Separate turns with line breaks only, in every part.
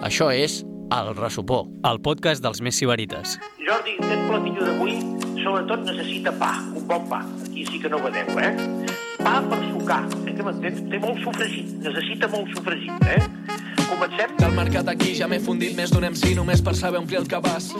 Això és El Ressopó,
el podcast dels més sibarites.
Jordi, aquest platillo d'avui sobretot necessita pa, un bon pa. Aquí sí que no vedeu, Pa per sucar, que m'entens? Té molt sofregit, necessita molt sofregit, Comencem?
Del mercat aquí ja m'he fundit més d'un MC només per saber omplir el cabàs.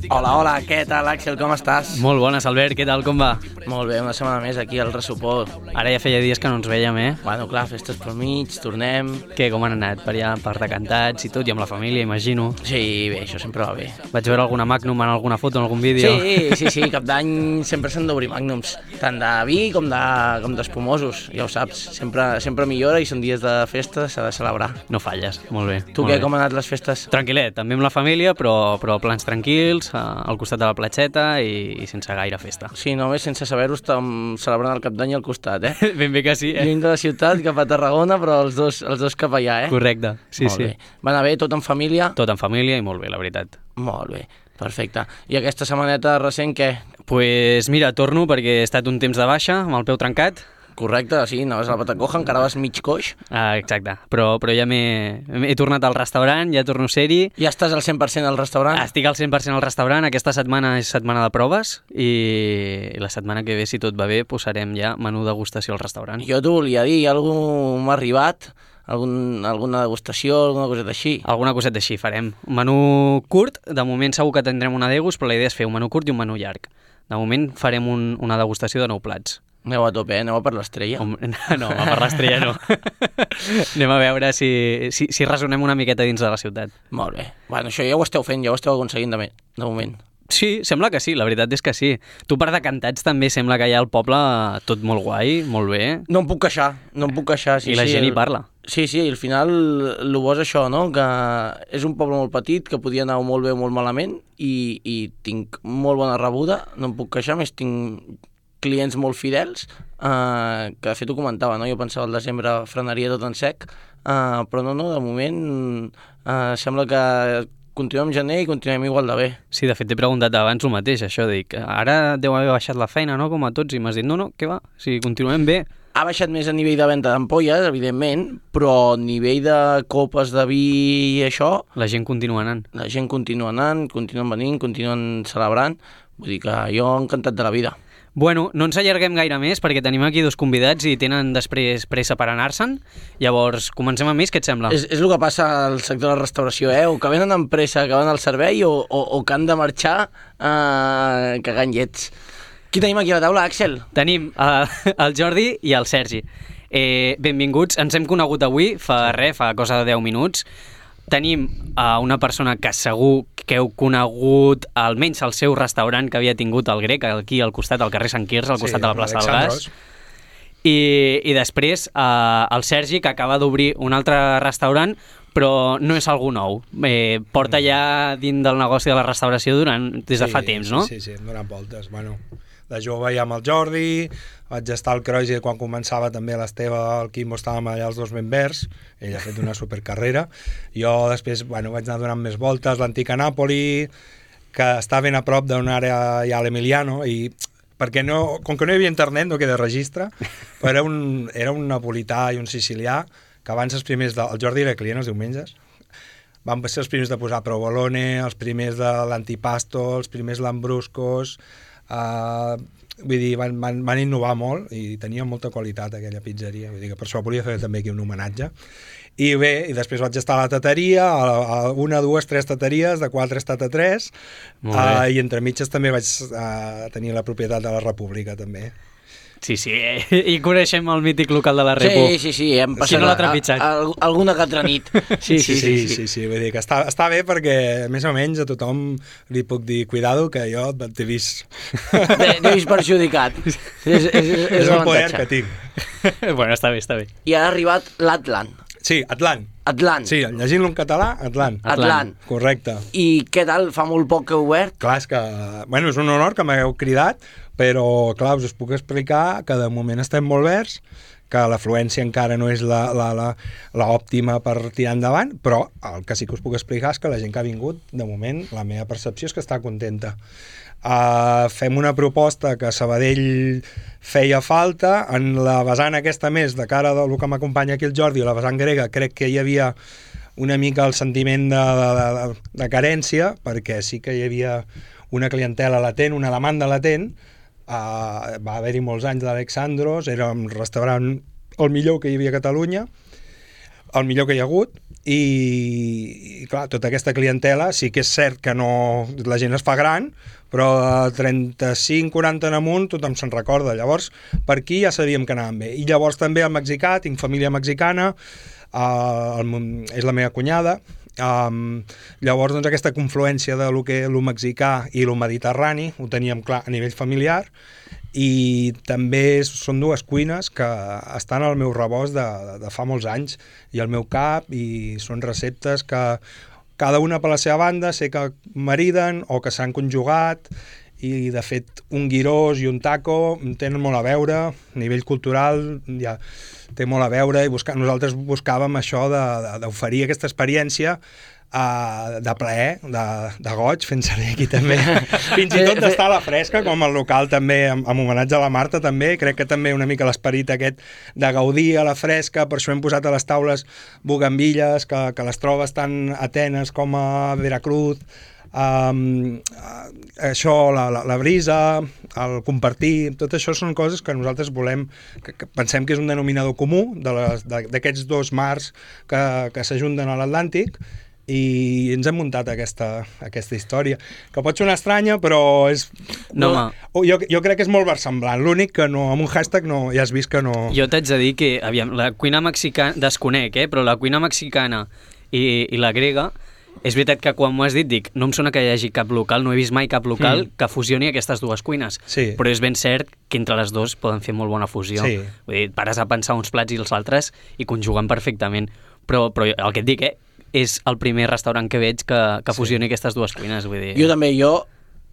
Hola, què tal, Àxel, com estàs?
Molt bones, Albert, què tal, com va?
Molt bé, una setmana més aquí al Ressopó.
Ara ja feia dies que no ens veiem,
Bueno, clar, festes pel mig, tornem...
Què, com han anat? Per allà, per decantats i tot, i amb la família, imagino.
Sí, bé, això sempre va bé.
Vaig veure alguna Magnum en alguna foto, en algun vídeo.
Sí, cap d'any sempre s'han d'obrir Magnums, tant de vi com d'espumosos, ja ho saps. Sempre millora i són dies de festa, s'ha de celebrar.
No falles, molt bé.
Tu què, com han anat les festes?
Tranquil·let, també amb la família, però plans tranquils, al costat de la platxeta i sense gaire festa.
Sí, només sense saber-ho estem celebrant el cap d'any al costat,
Ben bé que sí,
Lluny de la ciutat, cap a Tarragona, però els dos cap allà,
Correcte, sí.
Molt bé. Va anar bé, tot en família?
Tot en família i molt bé, la veritat.
Molt bé, perfecte. I aquesta setmaneta recent, què?
Pues mira, torno perquè he estat un temps de baixa, amb el peu trencat.
Correcte, sí, anaves a la Patacoja, encara vas mig coix.
Exacte, però ja he tornat al restaurant, ja torno a ser-hi.
Ja estàs al 100% al restaurant?
Estic al 100% al restaurant, aquesta setmana és setmana de proves i la setmana que ve, si tot va bé, posarem ja menú degustació al restaurant.
Jo t'ho volia dir, algú m'ha arribat, alguna degustació, alguna coseta així?
Alguna coseta així farem. Un menú curt, de moment segur que tindrem una degus, però la idea és fer un menú curt i un menú llarg. De moment farem una degustació de 9 plats.
Aneu a tope, aneu a per l'estrella.
No, a per l'estrella no. Anem a veure si resonem una miqueta dins de la ciutat.
Molt bé. Bueno, això ja ho esteu fent, ja ho esteu aconseguint de moment.
Sí, sembla que sí, la veritat és que sí. Tu per decantats també sembla que hi ha al poble tot molt guai, molt bé.
No em puc queixar, sí.
I la gent hi parla.
Sí, al final el bo és això, no? Que és un poble molt petit, que podia anar molt bé o molt malament, i tinc molt bona rebuda, no em puc queixar, més tinc clients molt fidels, que de fet ho comentava, no? Jo pensava al desembre frenaria tot en sec, però no, de moment sembla que continuem gener i continuem igual de bé.
Sí, de fet t'he preguntat abans el mateix, això, dic, ara deu haver baixat la feina, no?, com a tots, i m'has dit, no, què va, si continuem bé.
Ha baixat més a nivell de venda d'ampolles, evidentment, però a nivell de copes de vi i això...
La gent continua anant.
La gent continua anant, continuen venint, continuen celebrant, vull dir que jo encantat de la vida.
Bueno, no ens allarguem gaire més perquè tenim aquí dos convidats i tenen després pressa per anar-se'n. Llavors, comencem amb ells, què et sembla?
És el que passa al sector de la restauració, o que venen amb pressa, que van al servei, o que han de marxar cagant llets. Qui tenim aquí a la taula, Àxel?
Tenim el Jordi i el Sergi. Benvinguts, ens hem conegut avui, fa cosa de 10 minuts. Tenim una persona que segur que heu conegut almenys el seu restaurant que havia tingut el Grec aquí al costat, al carrer Sant Quirze, al costat de la plaça del Gas. I després el Sergi, que acaba d'obrir un altre restaurant, però no és algú nou. Porta ja dins del negoci de la restauració des de fa temps, no?
Sí, donant voltes. Bueno, de jove ja amb el Jordi, vaig estar al Croix quan començava també l'Esteve, el Quimbo, estàvem allà els dos ben verds, ell ha fet una supercarrera. Jo després vaig anar donant més voltes, l'antica Nàpoli, que està ben a prop d'una àrea ja a l'Emiliano, i perquè com que no hi havia internet no queda registre, però era un napolità i un sicilià, que abans els primers, el Jordi era client els diumenges, van ser els primers de posar provolone, els primers de l'antipasto, els primers lambruscos, vull dir, van innovar molt i tenia molta qualitat aquella pizzeria, vull dir que per això volia fer també aquí un homenatge. I bé, i després vaig estar a la tateria, a 1, 2, 3 tateries, de 4 he estat a 3, i entre mitges també vaig tenir la propietat de la República també.
Sí, i coneixem el mític local de la Repu.
Sí, hem passat
no l'ha trepitjat.
Alguna que altra nit. Sí,
vull dir que està bé perquè més o menys a tothom li puc dir cuidado que jo t'he vist.
T'he vist perjudicat. És
el poder que tinc.
Bueno, està bé.
I ha arribat l'Atlant.
Sí, Atlant. Sí, llegint-lo en català, Atlant. Correcte.
I què tal? Fa molt poc que heu obert?
Clar, és que... Bueno, és un honor que m'hagueu cridat, però, clar, us puc explicar que de moment estem molt verds, que l'afluència encara no és l'òptima per tirar endavant, però el que sí que us puc explicar és que la gent que ha vingut, de moment, la meva percepció és que està contenta. Fem una proposta que a Sabadell feia falta, en la vessant aquesta més, de cara del que m'acompanya aquí el Jordi, la vessant grega, crec que hi havia una mica el sentiment de carència, perquè sí que hi havia una clientela latent, una demanda latent. Va haver-hi molts anys d'Alexandros, era un restaurant el millor que hi havia a Catalunya, el millor que hi ha hagut, i clar, tota aquesta clientela sí que és cert que no, la gent es fa gran, però de 35-40 en amunt tothom se'n recorda. Llavors, per aquí ja sabíem que anàvem bé. I llavors també el mexicà, tinc família mexicana, és la meva cunyada. Llavors, doncs, aquesta confluència de lo mexicà i lo mediterrani ho teníem clar a nivell familiar, i també són dues cuines que estan al meu rebost de fa molts anys i al meu cap, i són receptes que cada una per la seva banda sé que mariden o que s'han conjugat, i de fet un gyros i un taco tenen molt a veure, a nivell cultural ja té molt a veure, i nosaltres buscàvem això d'oferir aquesta experiència de plaer, de goig, fent servir aquí també, fins i tot d'estar a la fresca, com el local també, amb homenatge a la Marta també, crec que també una mica l'esperit aquest de gaudir a la fresca, per això hem posat a les taules bugambilles, que les trobes tant a Atenes com a Veracruz, això, la brisa, el compartir, tot això són coses que nosaltres volem, que pensem que és un denominador comú d'aquests dos mars que s'ajunten a l'Atlàntic, i ens hem muntat aquesta història, que pot sonar estranya, però és...
No,
jo crec que és molt versemblant. L'únic que no, amb un hashtag no, ja has vist que no...
Jo t'haig de dir que, aviam, la cuina mexicana, desconec, però la cuina mexicana i la grega, és veritat que quan m'ho has dit, dic, no em sona que hi hagi cap local, no he vist mai cap local que fusioni aquestes dues cuines.
Sí.
Però és ben cert que entre les dues poden fer molt bona fusió.
Sí.
Vull dir, pares a pensar uns plats i els altres i conjuguen perfectament. Però el que et dic, és el primer restaurant que veig que fusioni aquestes dues cuines. Vull dir...
Jo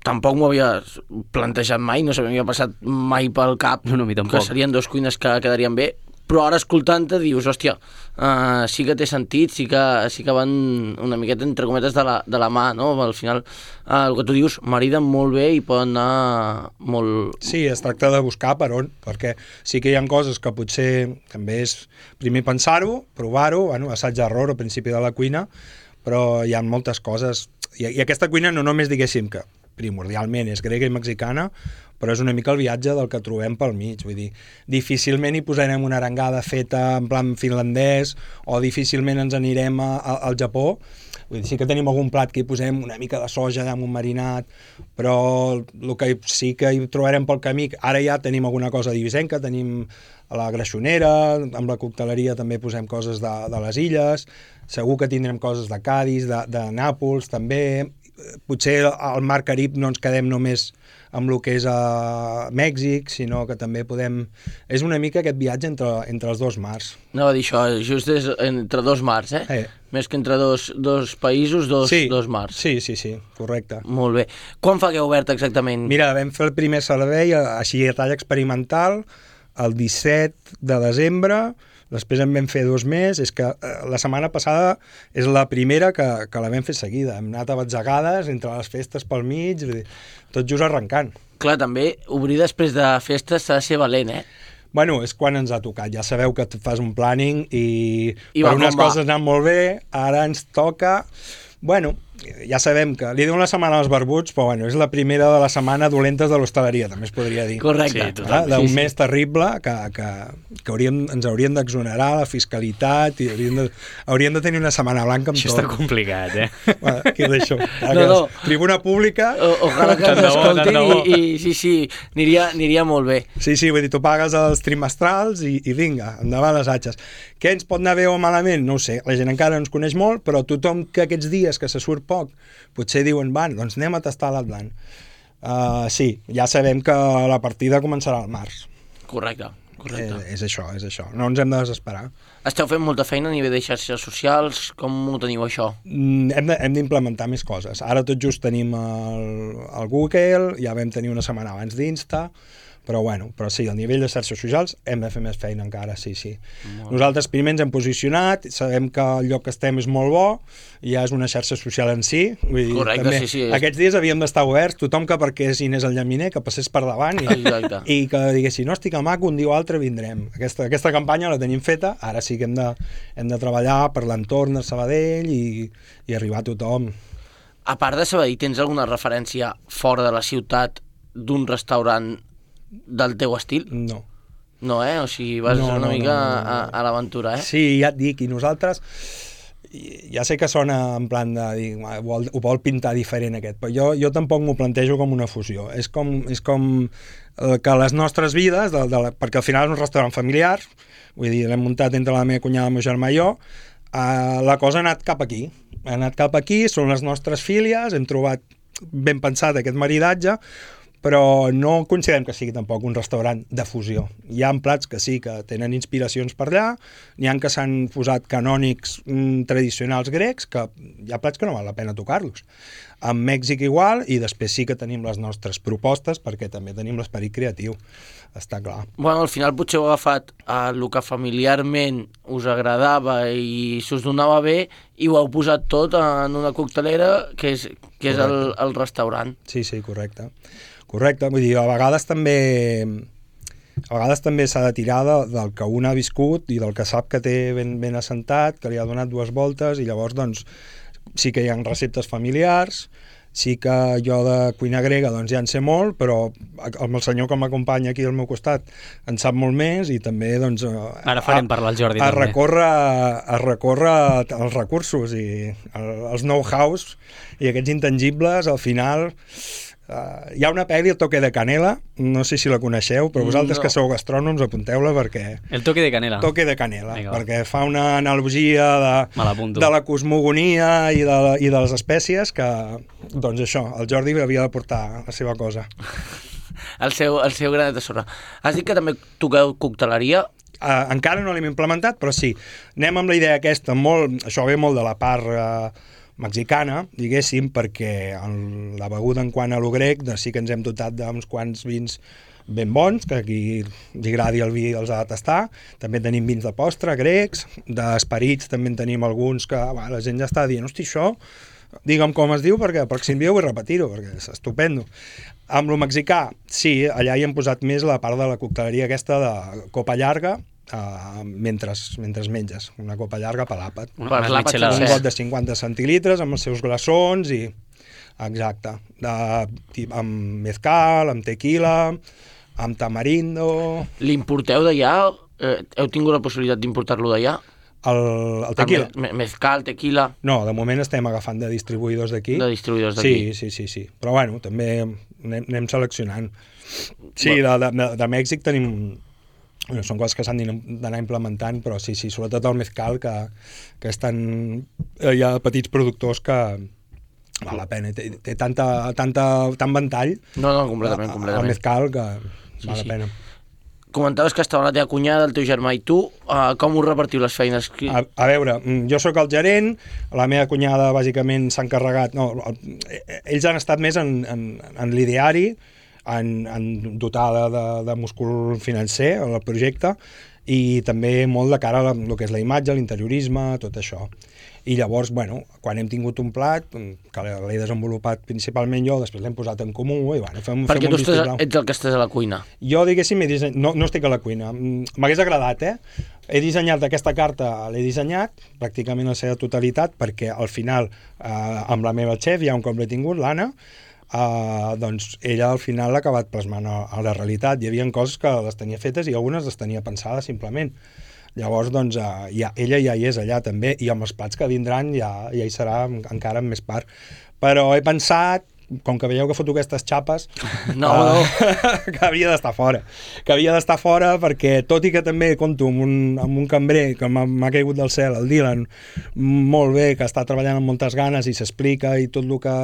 tampoc m'ho havia plantejat mai, no s'havia passat mai pel cap que serien dues cuines que quedarien bé, però ara escoltant-te dius, hòstia, sí que té sentit, sí que van una miqueta entre cometes de la mà, no? Al final, el que tu dius, mariden molt bé i poden anar molt...
Sí, es tracta de buscar per on, perquè sí que hi ha coses que potser també és primer pensar-ho, provar-ho, assaig-error al principi de la cuina, però hi ha moltes coses, i aquesta cuina no només diguéssim que primordialment és grega i mexicana, però és una mica el viatge del que trobem pel mig, vull dir, difícilment hi posarem una arengada feta en plan finlandès, o difícilment ens anirem al Japó. Vull dir, sí que tenim algun plat que hi posem una mica de soja amb un marinat, però el que sí que hi trobarem pel camí, ara ja tenim alguna cosa divisenca, tenim la greixonera, amb la cocteleria també posem coses de les illes, segur que tindrem coses de Cadis, de Nàpols també, potser al Mar Carib no ens quedem només amb el que és a Mèxic, sinó que també podem... És una mica aquest viatge entre els dos mars.
Anava a dir això, just és entre dos mars, Més que entre dos països, dos mars.
Sí, correcte.
Molt bé. Quan fa que heu obert exactament?
Mira, vam fer el primer servei, així a talla experimental, el 17 de desembre, després en vam fer 2 més, és que la setmana passada és la primera que la vam fer seguida, hem anat a batzegades entre les festes pel mig, tot just arrencant.
Clar, també obrir després de festes s'ha de ser valent,
Bueno, és quan ens ha tocat, ja sabeu que fas un planning i per unes coses han molt bé, ara ens toca... Bueno, ja sabem que li diuen la setmana als barbuts, però bueno, és la primera de la setmana dolentes de l'hostaleria, també es podria dir.
Correcte.
Sí, d'un mes terrible que ens haurien d'exonerar la fiscalitat i hauríem de tenir una setmana blanca amb
això
tot.
Això està complicat,
Bueno, aquí ho deixo.
No.
Tribuna pública...
Ojalà que ens escolti i sí, aniria molt bé.
Sí, vull dir, tu pagues els trimestrals i vinga, endavant les atxes. Què ens pot anar bé o malament? No ho sé, la gent encara no ens coneix molt, però tothom que aquests dies que se surt poc, potser diuen, doncs anem a tastar l'Atlant. Sí, ja sabem que la partida començarà al març.
Correcte.
És això, no ens hem de desesperar.
Esteu fent molta feina a nivell de xarxes socials, com ho teniu això?
Hem d'implementar més coses. Ara tot just tenim el Google, ja vam tenir una setmana abans d'Insta, Però bueno, però sí, al nivell de xarxes socials hem de fer més feina encara, sí. Nosaltres primer ens hem posicionat, sabem que el lloc que estem és molt bo, i ja és una xarxa social en si. Vull dir,
correcte,
també,
sí.
Aquests dies havíem d'estar oberts, tothom que perquè Inés el llaminer, que passés per davant i que diguessin, hòstia, que maco, un dia o altre vindrem. Aquesta campanya la tenim feta, ara sí que hem de treballar per l'entorn de Sabadell i arribar a tothom.
A part de Sabadell, tens alguna referència fora de la ciutat d'un restaurant del teu estil?
No.
No, o sigui, vas una mica a l'aventura,
Sí, ja et dic, i nosaltres ja sé que sona en plan de dir, ho vol pintar diferent aquest, però jo tampoc m'ho plantejo com una fusió. És com que les nostres vides, perquè al final és un restaurant familiar, vull dir, l'hem muntat entre la meva cunyada, el meu germà i jo, la cosa ha anat cap aquí. Són les nostres filles, hem trobat ben pensat aquest maridatge, però no considerem que sigui tampoc un restaurant de fusió. Hi ha plats que sí, que tenen inspiracions per allà, n'hi ha que s'han posat canònics tradicionals grecs, que hi ha plats que no val la pena tocar-los. En Mèxic igual, i després sí que tenim les nostres propostes, perquè també tenim l'esperit creatiu, està clar.
Bueno, al final potser heu agafat el que familiarment us agradava i s'us donava bé i ho heu posat tot en una coctelera que és el restaurant.
Sí, correcte. Correcte, vull dir, a vegades també s'ha de tirar del que un ha viscut i del que sap que té ben assentat, que li ha donat 2 voltes, i llavors doncs sí que hi ha receptes familiars, sí que jo de cuina grega doncs ja en sé molt, però el senyor que m'acompanya aquí al meu costat en sap molt més, i també doncs
ara farem parlar al Jordi
a recórrer els recursos i els know-hows i aquests intangibles. Al final hi ha una pel·li, El toque de canela, no sé si la coneixeu, però vosaltres que sou gastrònoms apunteu-la, perquè...
El toque de canela.
Toque de canela, perquè fa una analogia de la cosmogonia i de les espècies que, doncs això, el Jordi havia de portar la seva cosa.
El seu granet de sorra. Has dit que també toqueu cocteleria?
Encara no l'hem implementat, però sí. Anem amb la idea aquesta, això ve molt de la part mexicana, diguéssim, perquè la beguda en quant a lo grec sí que ens hem dotat d'uns quants vins ben bons, que a qui li agradi el vi els ha de tastar. També tenim vins de postre grecs, d'esperits també en tenim alguns que la gent ja està dient, hosti, això, digue'm com es diu, perquè el pròxim dia vull repetir-ho, perquè és estupendo. Amb lo mexicà, sí, allà hi hem posat més la part de la cocteleria aquesta de copa llarga, mentre menges, una copa llarga per l'àpat. Un got de 50 centilitres amb els seus glaçons i... Exacte. Amb mezcal, amb tequila, amb tamarindo...
L'importeu d'allà? Heu tingut la possibilitat d'importar-lo d'allà?
El tequila?
Mezcal, tequila...
No, de moment estem agafant de distribuïdors d'aquí.
De distribuïdors d'aquí?
Sí. Però bueno, també anem seleccionant. Sí, de Mèxic tenim... són coses que s'han d'anar implementant, però sí, sobretot el mezcal, que hi ha petits productors que val la pena, té tant ventall,
no, completament.
El mezcal, que val la pena.
Comentaves que estava la teva cunyada, el teu germà i tu, com us repartiu les feines?
A veure, jo sóc el gerent, la meva cunyada bàsicament s'ha encarregat, ells han estat més en l'ideari, en dotar de múscul financer al projecte, i també molt de cara a el que és la imatge, l'interiorisme, tot això. I llavors, quan hem tingut un plat, que l'he desenvolupat principalment jo, després l'hem posat en comú, i fem
perquè tu ets el que estàs a la cuina.
Jo, diguéssim, no estic a la cuina. M'hagués agradat, He dissenyat aquesta carta, l'he dissenyat pràcticament la seva totalitat, perquè al final, amb la meva xef, ja un cop l'he tingut, l'Anna, doncs ella al final l'ha acabat plasmant a la realitat. Hi havia coses que les tenia fetes i algunes les tenia pensades simplement. Llavors, doncs, ella ja hi és allà també, i amb els plats que vindran ja hi serà encara en més part. Però he pensat, com que veieu que foto aquestes xapes, que havia d'estar fora. Que havia d'estar fora perquè, tot i que també compto amb un cambrer que m'ha caigut del cel, el Dylan, molt bé, que està treballant amb moltes ganes i s'explica i tot el que...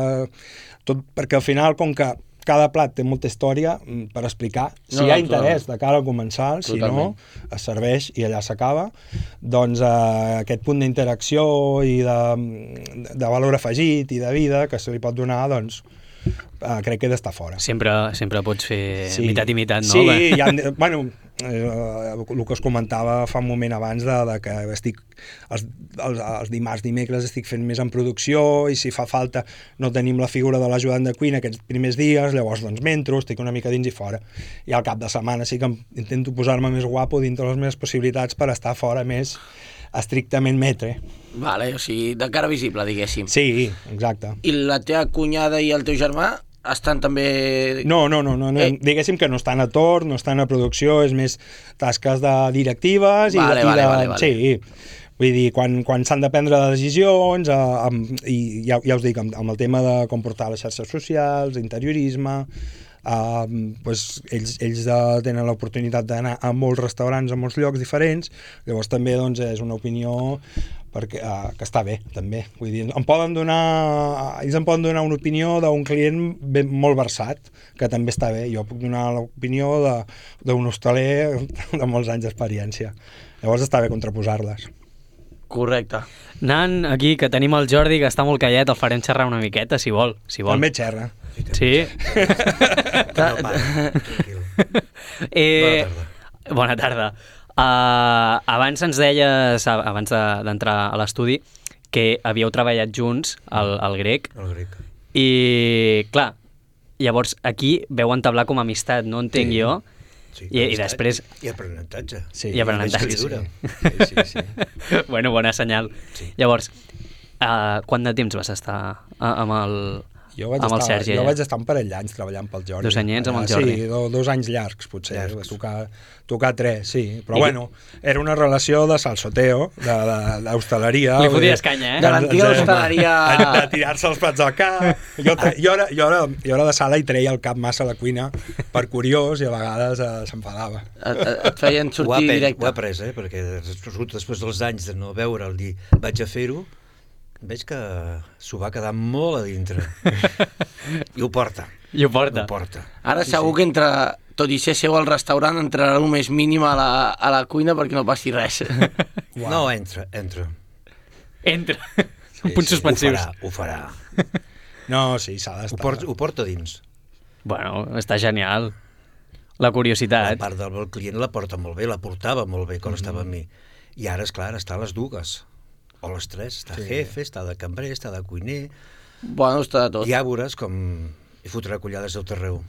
perquè al final, com que cada plat té molta història per explicar, si hi ha interès de cara al comensal, si no, es serveix i allà s'acaba, doncs aquest punt d'interacció i de valor afegit i de vida que se li pot donar, doncs crec que he d'estar fora.
Sempre pots fer mitat i mitat, no?
Sí, el que us comentava fa un moment abans de que estic els dimarts, dimecres estic fent més en producció i si fa falta no tenim la figura de l'ajudant de cuina aquests primers dies, llavors doncs m'entro, estic una mica dins i fora. I al cap de setmana sí que intento posar-me més guapo dintre les meves possibilitats per estar fora més estrictament metre.
Vale, o sigui, de cara visible, diguéssim.
Sí, exacte.
I la teva cunyada i el teu germà estan també...
No, diguéssim que no estan a torn, no estan a producció, és més tasques de directives
Vale.
Sí, vull dir, quan s'han de prendre decisions i ja us dic, amb el tema de com portar les xarxes socials, interiorisme, pues ells tenen l'oportunitat d'anar a molts restaurants, a molts llocs diferents, llavors també doncs, és una opinió perquè, que està bé, també. Vull dir, ells em poden donar una opinió d'un client molt versat, que també està bé. Jo puc donar l'opinió d'un hostaler de molts anys d'experiència. Llavors està bé contraposar-les.
Correcte.
Nan, aquí, que tenim el Jordi, que està molt callat, el farem xerrar una miqueta, si vol.
També xerra.
Sí? Bona tarda. Abans ens deies, abans d'entrar a l'estudi, que havíeu treballat junts al grec.
El grec.
I, clar, llavors aquí veu entablar com a amistat, no entenc jo.
Sí,
I després...
I aprenentatge.
Sí, i aprenentatge.
Sí.
Bueno, bona senyal. Sí. Llavors, quant de temps vas estar amb el Sergi?
Jo vaig estar un parell d'anys treballant pel Jordi.
2 anyets amb el Jordi.
Sí, 2 anys llargs, potser. Tocar 3, sí. Però bueno, era una relació de salsoteo, d'hostaleria.
Li foties canya,
De l'antiga hostaleria...
De tirar-se els plats al cap. Jo era de sala i treia el cap massa a la cuina per curiós i a vegades s'enfadava.
Et feien sortir directe.
Ho ha après, perquè després dels anys de no veure'l dir vaig a fer-ho, veig que s'ho va quedar molt a dintre. I ho porta.
Ara segur que entre, tot i ser seu al restaurant, entrarà el més mínim a la cuina perquè no passi res.
No, entra.
Punts suspensius.
Ho farà.
No, sí, s'ha d'estar.
Ho porta dins.
Bueno, està genial. La curiositat.
La part del client la porta molt bé, la portava molt bé quan estava amb mi. I ara, esclar, està a les dues. O les 3, està jefe, està de cambrer, està de cuiner...
Bueno, està de tot.
Ja veuràs com hi fotrà collades a tot arreu.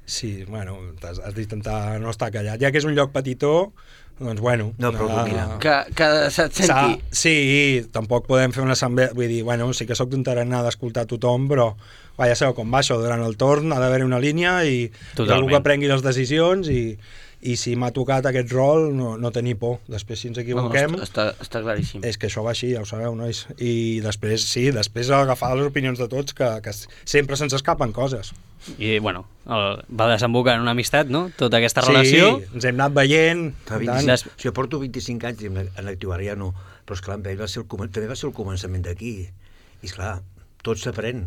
Sí, bueno, has d'intentar no estar callat. Ja que és un lloc petitó, doncs bueno...
No, però domina.
Que se't senti...
Sí, tampoc podem fer una assemblea... Vull dir, bueno, sí que soc d'un tarannà d'escoltar tothom, però ja sabeu com va això, durant el torn ha d'haver una línia i algú que prengui les decisions i si m'ha tocat aquest rol, no tenir por. Després, si ens equivoquem...
No, està claríssim.
És que això va així, ja ho sabeu, nois. I després, agafar les opinions de tots, que sempre se'ns escapen coses.
I, bueno, va desembocar en una amistat, no?, tota aquesta relació.
Sí, ens hem anat veient.
Jo porto 25 anys en l'actiu, ara ja no, però esclar, amb ell també va ser el començament d'aquí. I esclar, tot s'aprèn.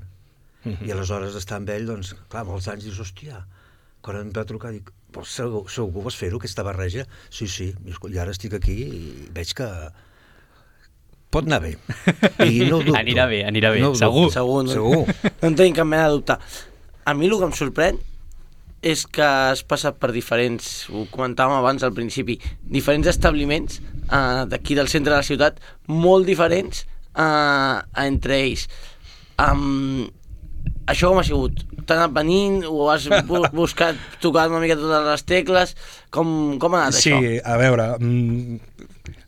I aleshores estar amb ell, doncs, clar, molts anys dius, hòstia, quan em va trucar, dic, segur vas fer-ho, aquesta barreja? Sí, i ara estic aquí i veig que pot anar bé. I no ho dubto.
Anirà bé, no segur.
No en tenim cap mena de dubte. A mi el que em sorprèn és que has passat per diferents, ho comentàvem abans al principi, diferents establiments d'aquí del centre de la ciutat, molt diferents entre ells. Això com ha sigut? T'ha anat venint? Ho has buscat tocar una mica totes les tecles? Com ha anat això?
Sí, a veure,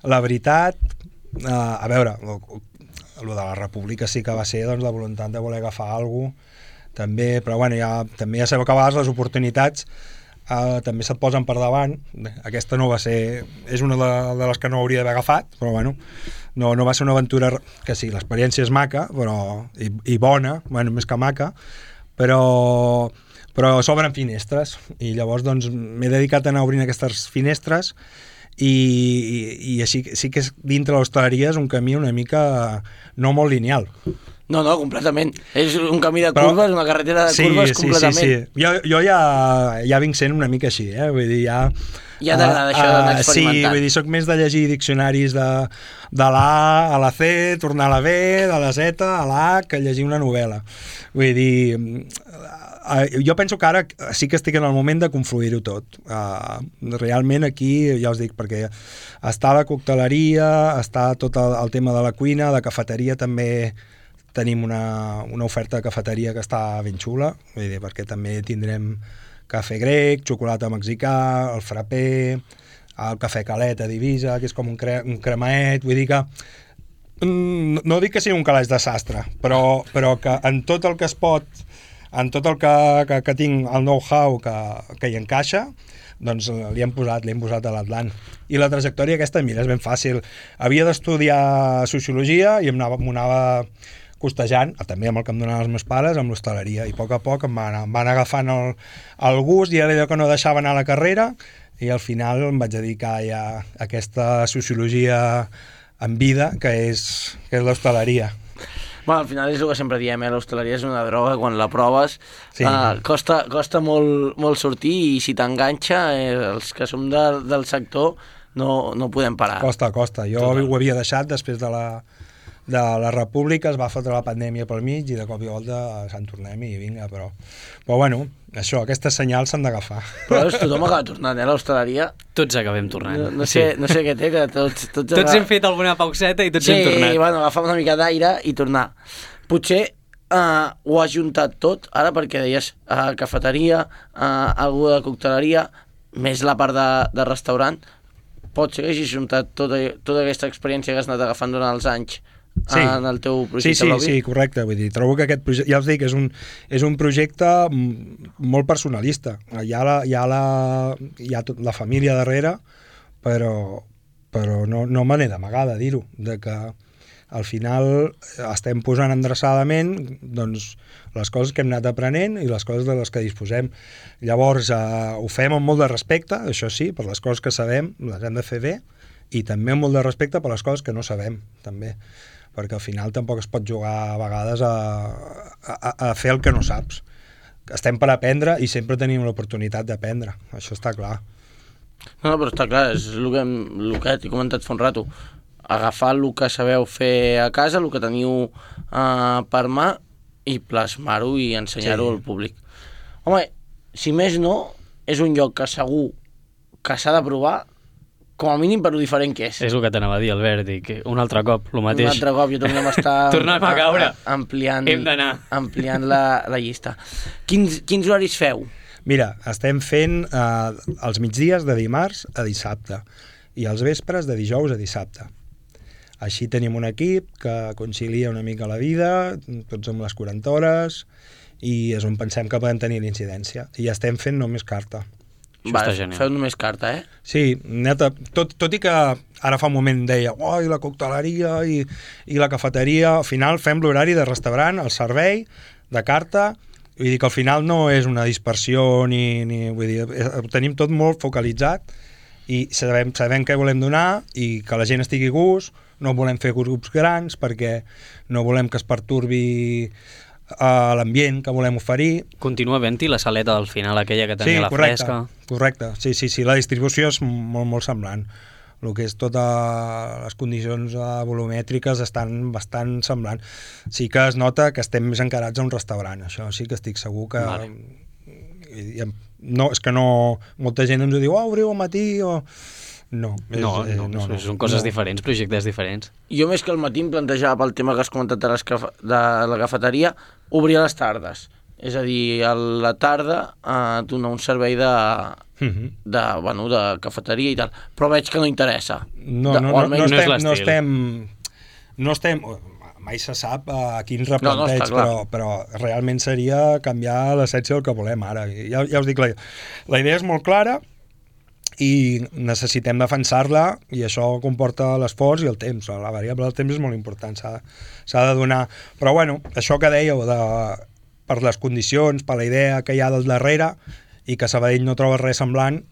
la veritat, a veure, el de la República sí que va ser doncs, la voluntat de voler agafar alguna cosa, també, però bueno, també ja sabeu que a vegades les oportunitats també se't posen per davant. Aquesta no va ser... És una de les que no hauria d'haver agafat, però bueno, no va ser una aventura que sí, l'experiència és maca, però i bona, bueno, més que maca, però s'obren finestres i llavors doncs m'he dedicat a anar obrint aquestes finestres i així sí que és, dintre l'hostaleria és un camí una mica no molt lineal.
No, completament. És un camí de curves, una carretera de curves completament.
Sí. Jo ja vinc sent una mica així, vull dir, ja
t'agrada això d'anar experimentant.
Sí, vull dir, soc més de llegir diccionaris de l'A a la C, tornar a la B, de la Z a l'H, que llegir una novel·la. Vull dir, jo penso que ara sí que estic en el moment de confluir-ho tot. Realment aquí, ja us dic, perquè està la cocteleria, està tot el tema de la cuina, de cafeteria també tenim una oferta de cafeteria que està ben xula, vull dir, perquè també tindrem cafè grec, xocolata mexicà, el frappé, el cafè calet a Divisa, que és com un cremaet, vull dir que no dic que sigui un calaix de sastre, però que en tot el que es pot, en tot el que tinc el know-how que hi encaixa, doncs li hem posat a l'Atlant. I la trajectòria aquesta, mira, és ben fàcil. Havia d'estudiar sociologia i m'ho anava costejant, també amb el que em donaven els meus pares, amb l'hostaleria, i a poc em van agafant el gust, i era allò que no deixava anar a la carrera, i al final em vaig dedicar ja a aquesta sociologia en vida, que és l'hostaleria.
Bueno, al final és el que sempre diem, l'hostaleria és una droga, quan la proves costa molt sortir, i si t'enganxa, els que som del sector no podem parar.
Costa. Jo ho havia deixat després de la República, es va fotre la pandèmia pel mig i de cop i volta se'n tornem i vinga, però bueno, això, aquestes senyals s'han d'agafar.
Però tothom acaba tornant, a l'hostaleria.
Tots acabem tornant.
No sé què té, que tots
hem fet alguna pauseta i tots hem tornat.
Sí, bueno, agafar una mica d'aire i tornar. Potser ho has juntat tot, ara perquè deies cafeteria, algú de cocteleria, més la part de restaurant. Pot ser que hagis juntat tota aquesta experiència que has anat agafant durant els anys en el teu projecte Lobby?
Sí, correcte. Vull dir, trobo que aquest projecte, ja us dic, és un projecte molt personalista. Hi ha la família darrere, però no me n'he d'amagar de dir-ho, de que al final estem posant endreçadament doncs, les coses que hem anat aprenent i les coses de les que disposem. Llavors, ho fem amb molt de respecte, això sí, per les coses que sabem, les hem de fer bé, i també amb molt de respecte per les coses que no sabem, també, perquè al final tampoc es pot jugar a vegades a fer el que no saps. Estem per aprendre i sempre tenim l'oportunitat d'aprendre, això està clar.
No, però està clar, és el que t'he comentat fa un rato. Agafar el que sabeu fer a casa, el que teniu per mà, i plasmar-ho i ensenyar-ho al públic. Home, si més no, és un lloc que segur que s'ha de provar, com a mínim per lo diferent que és.
És el que t'anava a dir, Albert, i que un altre cop, el mateix.
Un altre cop, jo tornem a estar
tornem a caure.
Ampliant la llista. Quins horaris feu?
Mira, estem fent els migdies de dimarts a dissabte i els vespres de dijous a dissabte. Així tenim un equip que concilia una mica la vida, tots amb les 40 hores, i és on pensem que podem tenir l'incidència. I estem fent només carta.
Feu només carta,
Sí, neta, tot i que ara fa un moment deia i la cocteleria i la cafeteria, al final fem l'horari de restaurant, el servei, de carta, vull dir que al final no és una dispersió vull dir, ho tenim tot molt focalitzat i sabem què volem donar i que la gent estigui a gust, no volem fer grups grans perquè no volem que es pertorbi l'ambient que volem oferir.
Continua havent-hi la saleta del final, aquella que tenia la fresca.
Correcte, sí, la distribució és molt semblant. El que és totes les condicions volumètriques estan bastant semblant. Sí que es nota que estem més encarats a un restaurant, això sí que estic segur que... Vale. No, és que no... Molta gent ens ho diu, obriu al matí o... No,
són coses diferents, projectes diferents.
Jo més que al matí em plantejava pel tema que has comentat de la cafeteria, obrir a les tardes. És a dir, a la tarda donar un servei de cafeteria i tal. Però veig que no interessa.
No estem... Mai se sap a quins replanteig, però realment seria canviar l'essència del que volem ara. Ja us dic, la idea és molt clara, i necessitem defensar-la i això comporta l'esforç i el temps. La variable del temps és molt important, s'ha de donar. Però bueno, això que dèieu per les condicions, per la idea que hi ha del darrere i que Sabadell no troba res semblant,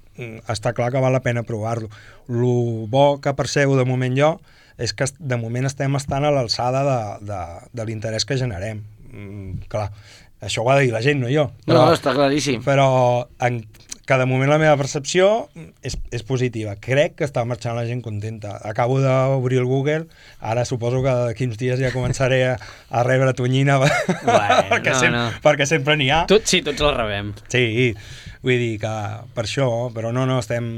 està clar que val la pena provar-lo. El bo que percebo de moment jo és que de moment estem estant a l'alçada de l'interès que generem. Clar, això ho ha de dir la gent, no jo.
No, està claríssim.
Però que de moment la meva percepció és positiva. Crec que està marxant la gent contenta. Acabo d'obrir el Google, ara suposo que d'aquí uns dies ja començaré a rebre tonyina perquè sempre n'hi ha.
Sí, tots la rebem.
Sí, vull dir que per això, però no, estem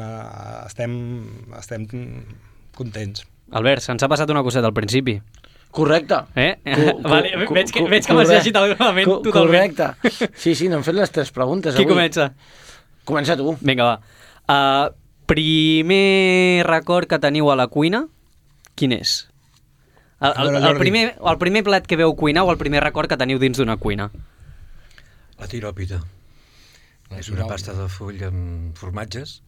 contents.
Albert, se'ns ha passat una coseta al principi.
Correcte.
Vale, veig que m'has llegit el reglament totalment.
Correcte. Sí, no hem fet les 3 preguntes
Qui
avui.
comença?
Comença tu.
Vinga, va. Primer record que teniu a la cuina, quin és? El primer plat que veu cuinar o el primer record que teniu dins d'una cuina?
La tiròpita. És una pasta de full amb formatges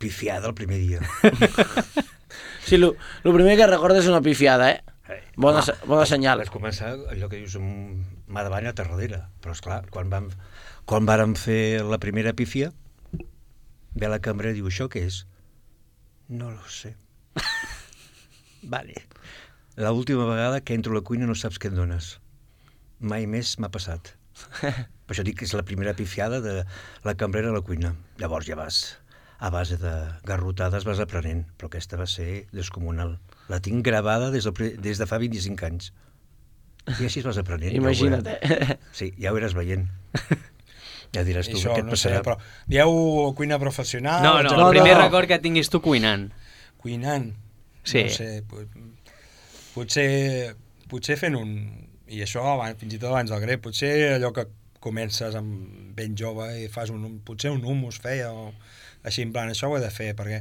pifiada el primer dia.
Sí, el primer que recorda és una pifiada, eh? Bona senyal.
Vaig començar allò que dius amb mà davant i altra darrere. Però, esclar, quan vàrem fer la primera pífia, ve la cambra i diu, això què és? No lo sé. Vale. L'última vegada que entro a la cuina no saps què em dones. Mai més m'ha passat. Per això dic que és la primera pifiada de la cambrera a la cuina. Llavors ja vas, a base de garrotades vas aprenent, però aquesta va ser descomunal. La tinc gravada des de fa 25 anys. I així es vas aprenent.
Imagina't,
Sí, ja ho eres veient. Ja diràs tu
això,
què et passarà.
No sé, però dieu cuina professional?
No, el primer record que tinguis tu cuinant.
Cuinant?
Sí.
No sé, potser fent un... I això fins i tot abans del grec, potser allò que comences amb ben jove i fas potser un hummus feia o així, en plan, això ho he de fer, perquè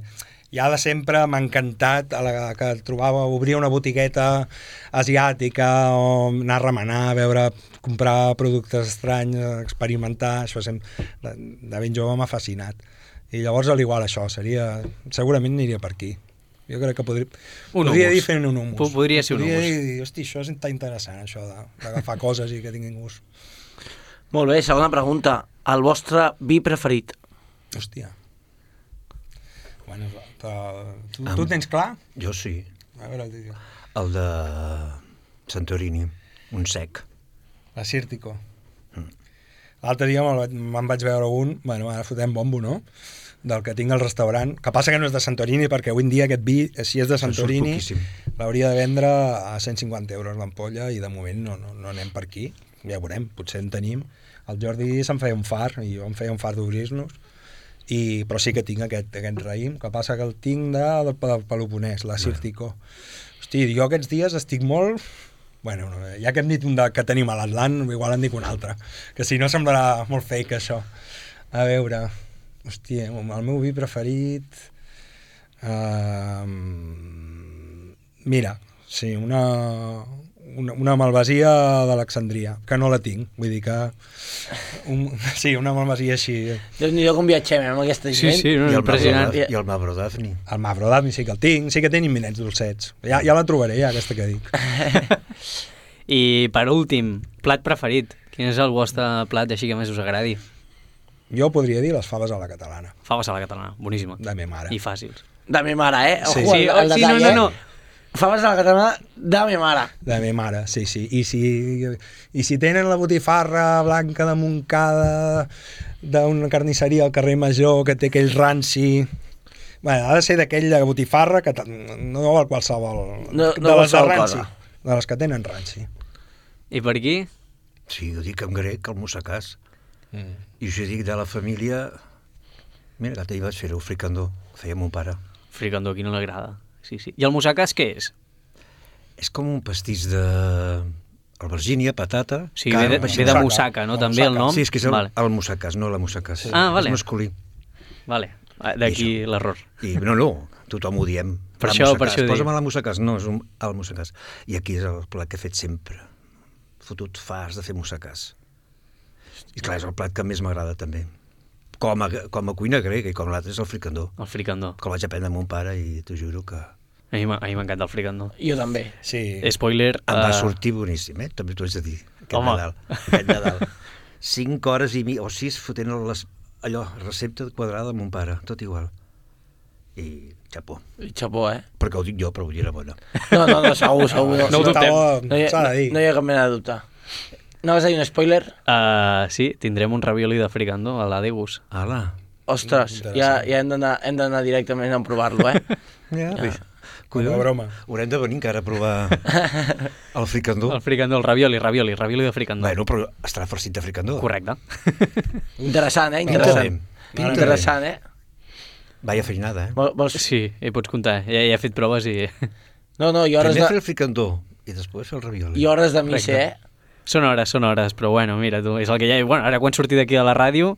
ja de sempre m'ha encantat que trobava, obrir una botigueta asiàtica o anar a remenar, comprar productes estranys, experimentar, això de ben jove m'ha fascinat. I llavors, al igual, això segurament aniria per aquí. Jo crec que podria dir fent un hummus.
Podria ser un hummus.
Podria dir, hosti, això és tan interessant, això d'agafar coses i que tinguin gust.
Molt bé, segona pregunta. El vostre vi preferit?
Hòstia. Bueno, tu tens clar?
Jo sí.
A veure,
el de Santorini, un sec.
La Círtico. L'altre dia me'n vaig veure un, bueno, ara fotem bombo, no?, del que tinc al restaurant, que passa que no és de Santorini, perquè avui en dia aquest vi, si és de Santorini, l'hauria de vendre a 150 euros l'ampolla, i de moment no anem per aquí, ja veurem, potser en tenim. El Jordi se'n feia un far, i jo em feia un far d'obrir-nos, però sí que tinc aquest raïm, que passa que el tinc del Peloponès, la Círtico. Hosti, jo aquests dies estic molt... Bueno, ja que hem dit un que tenim a l'Atlant, igual en dic un altre, que si no semblarà molt fake, això. A veure... Hòstia, el meu vi preferit... Mira, sí, una malvasia d'Alexandria, que no la tinc, vull dir que... Sí, una malvasia així.
Déu-n'hi-do com viatgem amb aquesta gent.
Sí, no, impressionant.
I el Mavro Daphni.
El Mavro Daphni sí que el tinc, sí que té imminents dolcets. Ja la trobaré, aquesta que dic.
I per últim, plat preferit. Quin és el vostre plat així que més us agradi?
Jo podria dir les faves a la catalana.
Faves a la catalana, boníssima.
De me mare.
I fàcils.
De me mare, eh?
Sí.
Ojo, el detall,
no.
Faves a la catalana de me mare.
De me mare, sí. I si tenen la botifarra blanca de Montcada d'una carnisseria al carrer Major que té aquell ranci... Bueno, ha de ser d'aquella botifarra que no val qualsevol...
No
de les de ranci.
cosa.
De les que tenen ranci.
I per aquí?
Sí, ho dic en grec, el mussacàs. I us dic de la família... Mira, que ahir vaig fer-ho, fricandó. Ho feia mon pare.
Fricandó, a qui no l'agrada. Sí. I el mussacàs què és?
És com un pastís de... albergínia, patata...
Sí, ve de mussaca, no? També el nom?
Sí, és que és el mussacàs, no la mussacàs.
Ah, vale.
És masculí.
Vale, d'aquí l'error.
I no, tothom ho diem.
Per això ho dic.
Posa'm a la mussacàs. No, és el mussacàs. I aquí és el plat que he fet sempre. Fotut fars de fer mussacàs. I clar, és el plat que més m'agrada també. Com a cuina grega, i com l'altre és el fricandó.
El fricandó.
Que el vaig aprendre amb mon pare i t'ho juro que...
A mi m'encanta el fricandó.
Jo també.
Sí.
Spoiler...
Em va sortir boníssim, També t'ho haig de dir. Aquest Nadal. 5 hores i mitja, o 6, fotent allò, recepta quadrada de mon pare, tot igual. I xapó.
I xapó,
Perquè ho dic jo, però vull dir era bona.
No, segur.
No ho dubtem.
S'ha de dir.
No hi ha cap mena de dubte. No vas a dir un spoiler?
Sí, tindrem un ravioli de fricandó a l'Adegus.
Ala.
Ostres, ja hem d'anar directament a provar-lo,
Collons. Broma.
Haurem de venir encara a provar el fricandó.
El fricandó, el ravioli de fricandó.
Bueno, però estarà farcit de fricandó.
Correcte.
Interessant,
Interessant.
Interessant,
Vaya feinada,
Vols...
Sí, hi pots comptar. Ja he fet proves i...
No, i hores
Primer fer
de...
el fricandó i després fer el ravioli.
I hores de missa,
Són hores, però bueno, mira, tu, és el que hi ha. Bueno, ara quan surti d'aquí a la ràdio,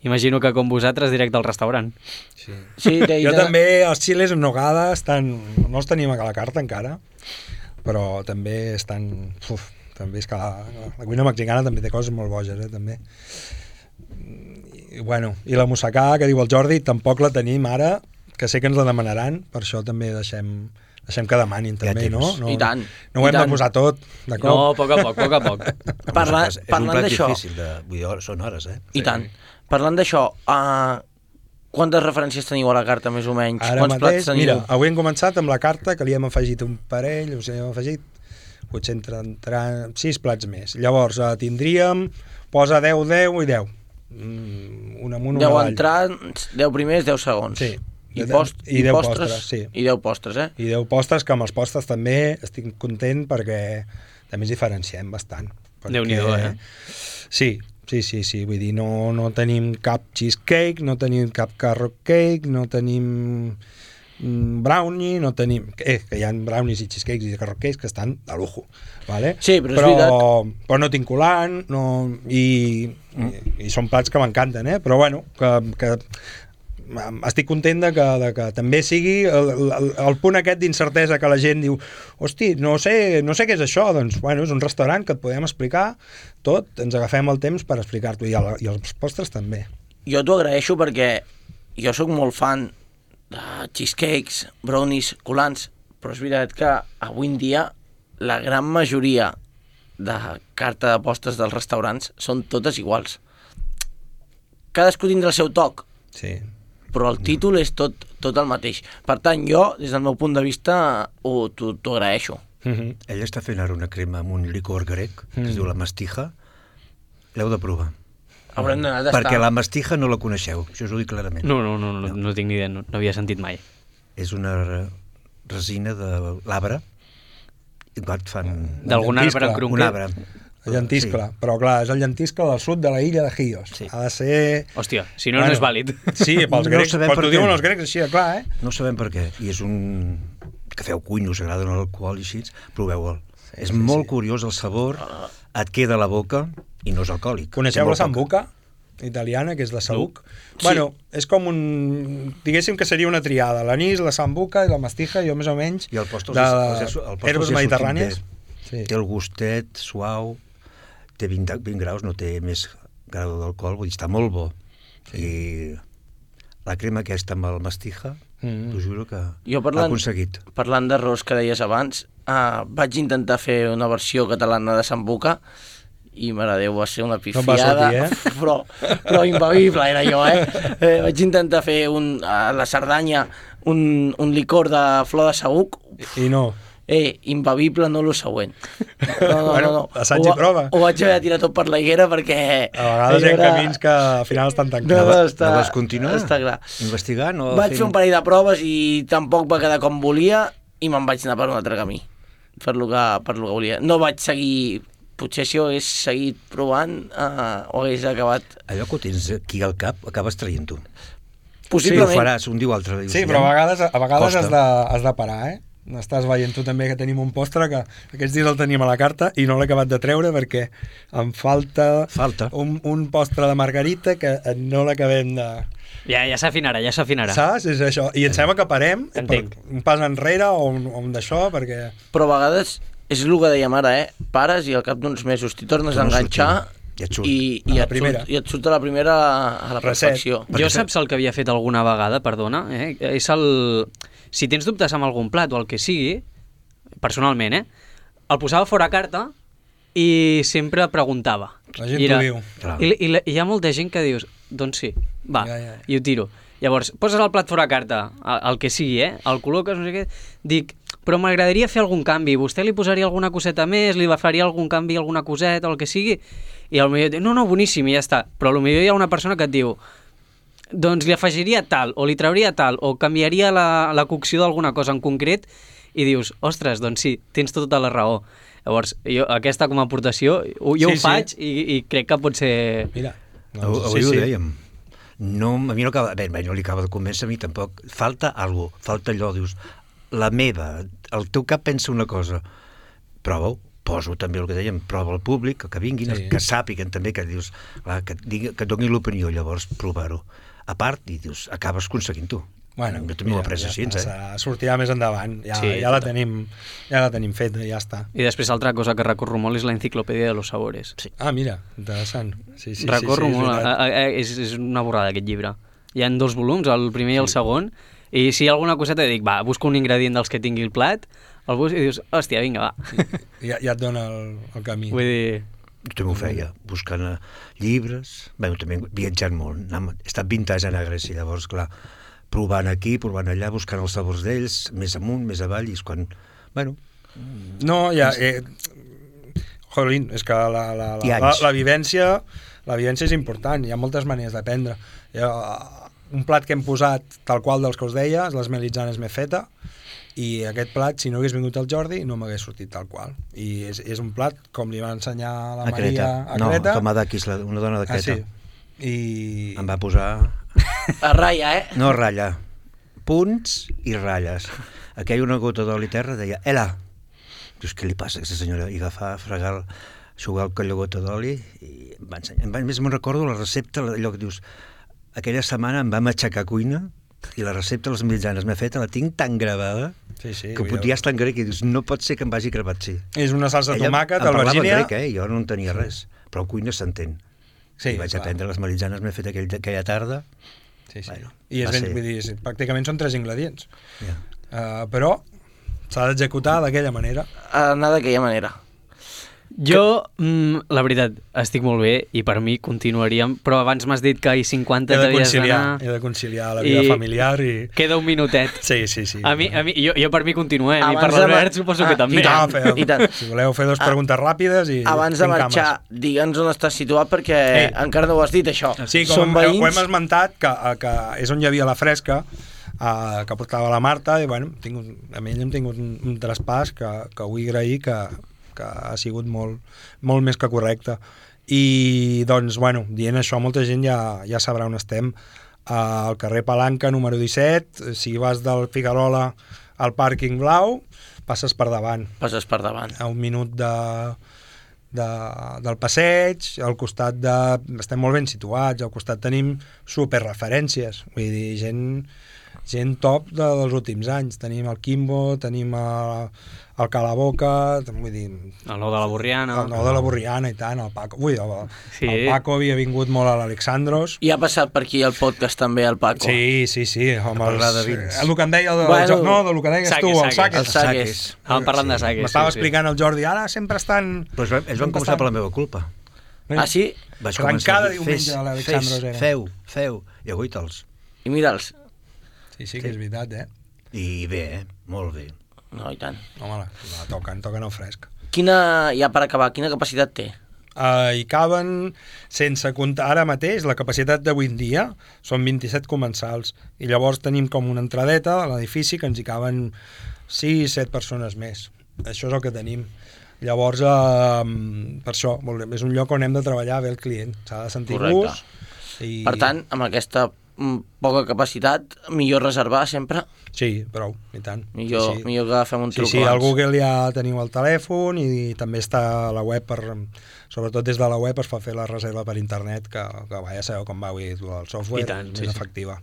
imagino que com vosaltres directe al restaurant.
Sí,
jo també, els chiles en nogada estan... No els tenim a la carta encara, però també estan... també és que la cuina mexicana també té coses molt boges, també. I la moussaka, que diu el Jordi, tampoc la tenim ara, que sé que ens la demanaran, per això també deixem que demanin també, no?
I tant.
No ho hem de posar tot, de cop.
No, a poc a poc.
Parlant
és un plat
d'això...
difícil, vull dir, són hores,
I tant. Parlant d'això, quantes referències teniu a la carta, més o menys?
Ara
Quants
mateix,
plats teniu?
mira, avui hem començat amb la carta, que li hem afegit un parell, o sigui, hem afegit potser entre 6 plats més. Llavors, tindríem, posa 10, 10 i 10. Un amunt,
10 entrants, 10 primers, 10 segons.
Sí.
I
10 postres, sí.
I 10 postres,
I 10 postres, que amb els postres també estic content perquè també ens diferenciem bastant.
Déu-n'hi-do,
Sí, vull dir, no tenim cap cheesecake, no tenim cap carrot cake, no tenim brownie, no tenim... que hi ha brownies i cheesecakes i carrot cakes que estan de lujo, ¿vale?
Sí, però és veritat.
Però no tinc colant, i són plats que m'encanten, però bueno, que estic content de que també sigui el punt aquest d'incertesa que la gent diu, hosti, no sé què és això, doncs bueno, és un restaurant que et podem explicar tot, ens agafem el temps per explicar-t'ho, i els postres també.
Jo t'ho agraeixo perquè jo sóc molt fan de cheesecakes, brownies, colants, però és veritat que avui en dia la gran majoria de carta de postres dels restaurants són totes iguals. Cadascú tindrà el seu toc,
sí,
però el títol és tot el mateix. Per tant, jo, des del meu punt de vista, t'ho agraeixo.
Ell està fent ara una crema amb un licor grec, que es diu la mastija. L'heu de provar.
Haurem d'anar d'estar...
Perquè la mastija no la coneixeu, això us ho dic clarament.
No tinc ni idea, no havia sentit mai.
És una resina de l'arbre, i fan...
D'algun arbre en
Un arbre.
El llentiscle, sí. Però clar, és el llentiscle del sud de la illa de Chios. Sí. Ha de ser...
Hòstia, si no és vàlid.
Sí, pels grecs, però t'ho diuen els grecs així, clar,
No sabem per què, i és un... que feu cuina, us agrada l'alcohol i així, proveu-el. Sí, és molt curiós el sabor, et queda a la boca i no és alcohòlic.
Coneixeu la sambuca italiana, que és la saüc? Sí. Bueno, és com un... diguéssim que seria una triada, l'anís, la sambuca i la mastija, jo més o menys,
i el postre
herbes mediterrànies.
Sí. Té el gustet suau, té 20 graus, no té més grau d'alcohol, vull dir, està molt bo. Sí. I la crema aquesta amb el mastija, t'ho juro que l'ha aconseguit.
Parlant d'arròs que deies abans, vaig intentar fer una versió catalana de sambuca i, mare Déu, va ser una pifiada, però imbevible era jo, vaig intentar fer a la Cerdanya un licor de flor de saüc
i no.
Imbevible, no lo següent. No.
Assaig i prova.
Ho vaig haver de tirar tot per la higuera perquè...
A vegades hi ha camins que al final estan tancats.
No vas continuar?
Està clar.
Investigant?
Vaig fer un parell de proves i tampoc va quedar com volia i me'n vaig anar per un altre camí. Per lo que volia. No vaig seguir... Potser si ho hagués seguit provant ho hagués acabat...
Allò que ho tens aquí al cap acabes traient-ho.
Possiblement.
Sí, ho faràs un dia o altre.
Sí, però a vegades has de parar, Estàs veient tu també que tenim un postre que aquests dies el teníem a la carta i no l'he acabat de treure perquè em falta. Un postre de margarita que no l'acabem de...
Ja s'afinarà.
Saps? És això. I em sembla que parem un pas enrere o un d'això perquè...
Però a vegades és el que dèiem ara, pares i al cap d'uns mesos t'hi tornes a enganxar i et surt a la primera a la perfecció.
Jo saps el que havia fet alguna vegada, perdona, és el... Si tens dubtes amb algun plat o el que sigui, personalment, el posava fora carta i sempre preguntava.
La gent t'ho diu.
I hi ha molta gent que dius, Doncs sí, va,
Ja.
i ho tiro. Llavors, poses el plat fora carta, el que sigui, el col·loques, no sé què, dic, però m'agradaria fer algun canvi, vostè li posaria alguna coseta més, li faria algun canvi, alguna coseta, o el que sigui, i potser diu, no, boníssim, i ja està, però potser hi ha una persona que et diu, doncs li afegiria tal, o li trauria tal, o canviaria la cocció d'alguna cosa en concret, i dius, ostres, doncs sí, tens tota la raó. Llavors, jo, aquesta com a aportació, ho faig i crec que pot ser...
Mira,
avui ho dèiem. No, a mi no li acaba de convèncer, a mi tampoc. Falta alguna cosa, falta allò, dius, la meva, el teu cap pensa una cosa, prova-ho, poso també el que dèiem, prova al públic, que vinguin, que sàpiguen també, que dius, clar, que et donin l'opinió, llavors provar-ho. A part, i dius, acabes aconseguint-ho.
Bueno,
jo també ho he après així,
sortirà més endavant, ja la tenim feta, ja està.
I després altra cosa que recorro molt és la enciclopèdia de los sabores.
Sí.
Ah, mira, interessant. Sí,
recorro molt, és una borrada aquest llibre. Hi ha 2 volums, el primer i el segon, i si hi ha alguna coseta dic, va, busco un ingredient dels que tingui el plat, el busco i dius, hòstia, vinga, va.
Ja et dona el camí.
Vull dir...
Jo també ho feia, buscant llibres, també viatjant molt, he estat 20 anys a Grècia, llavors, clar, provant aquí, provant allà, buscant els sabors d'ells, més amunt, més avall, i és quan... Bueno...
No, ja... Jolín, és que la vivència és important, hi ha moltes maneres d'aprendre. Un plat que hem posat tal qual dels que us deia, les melitzanes m'he feta, i aquest plat, si no hagués vingut el Jordi, no m'hagués sortit tal qual. I és un plat, com li va ensenyar la Maria a Creta...
No, Tomadakis, una dona de Creta.
I...
Em va posar...
A ratlla,
No, ratlla. Punts i ratlles. Aquí hi ha una gota d'oli terra, deia, Ela! Dius, què li passa a aquesta senyora? I agafar, fregar, xugar aquella gota d'oli, i em va ensenyar. Més me'n recordo la recepta, allò que dius, aquella setmana em vam aixecar a cuina, i la recepta de les mitjanes m'he feta, la tinc tan gravada que ja està en grec i dius, no pot ser que em vagi gravat, sí.
És una salsa de tomàquet,
albergínia... Ella em parlava grec, jo no en tenia res, però en cuina s'entén. I vaig aprendre les melitzanes, m'he fet aquella tarda.
Bueno, i pràcticament són 3 ingredients. Però s'ha d'executar d'aquella manera.
Anar d'aquella manera.
Jo, la veritat, estic molt bé i per mi continuaríem, però abans m'has dit que 50 t'havies d'anar...
He de conciliar la vida familiar i...
Queda un minutet.
Sí.
Jo per mi continuem, i per l'Albert suposo que també.
I tant.
Si voleu fer 2 preguntes ràpides i...
Abans de marxar, digue'ns on estàs situat perquè encara no ho has dit, això.
Sí, com ho hem esmentat, que és on hi havia la fresca, que portava la Marta, i bueno, amb ell hem tingut un traspàs que vull agrair que ha sigut molt més que correcte. I doncs, bueno, dient això, molta gent ja sabrà on estem. Al carrer Palanca, número 17, si vas del Figuerola al pàrquing blau, passes per davant. A un minut del passeig, al costat estem molt ben situats, al costat tenim superreferències, vull dir, gent top dels últims anys. Tenim el Quimbo, tenim el Calaboca, vull dir...
El Nou de la Borriana.
El Nou de la Borriana, i tant, el Paco. Ui, el Paco havia vingut molt a l'Alexandros.
I ha passat per aquí el podcast també, el Paco.
Sí, home, el que em deia del que deies tu, el Saques.
Estàvem parlant de Saques.
M'estava explicant el Jordi, ara sempre estan...
Però ells van començar per la meva culpa.
Ah, sí?
Vaig començar a dir,
diumenge a l'Alexandros era.
Feu, i avui te'ls.
I mira'ls.
Sí, que és veritat,
I bé, molt bé.
No, i tant.
Home, toquen el fresc.
Ja per acabar, quina capacitat té?
Hi caben, sense comptar ara mateix, la capacitat d'avui en dia són 27 comensals, i llavors tenim com una entradeta a l'edifici que ens hi caben 6-7 persones més. Això és el que tenim. Llavors, per això, és un lloc on hem de treballar bé el client, s'ha de sentir gust.
Per tant, amb aquesta poca capacitat, millor reservar sempre?
Sí, prou, i tant.
Millor que fem un truc
abans. Sí, al Google ja teniu el telèfon i també està a la web, sobretot des de la web es fa fer la reserva per internet, que ja sabeu com va, el software és efectiva.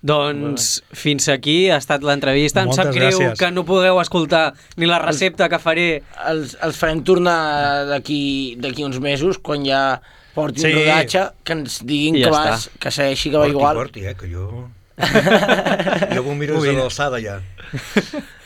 Doncs fins aquí ha estat l'entrevista. Em sap greu que no pugueu escoltar ni la recepta que faré.
Els farem tornar d'aquí uns mesos, quan ja porti un rodatge, que ens diguin que segueixi, que va igual.
Porti, que jo... Jo m'ho miro des de l'alçada, ja.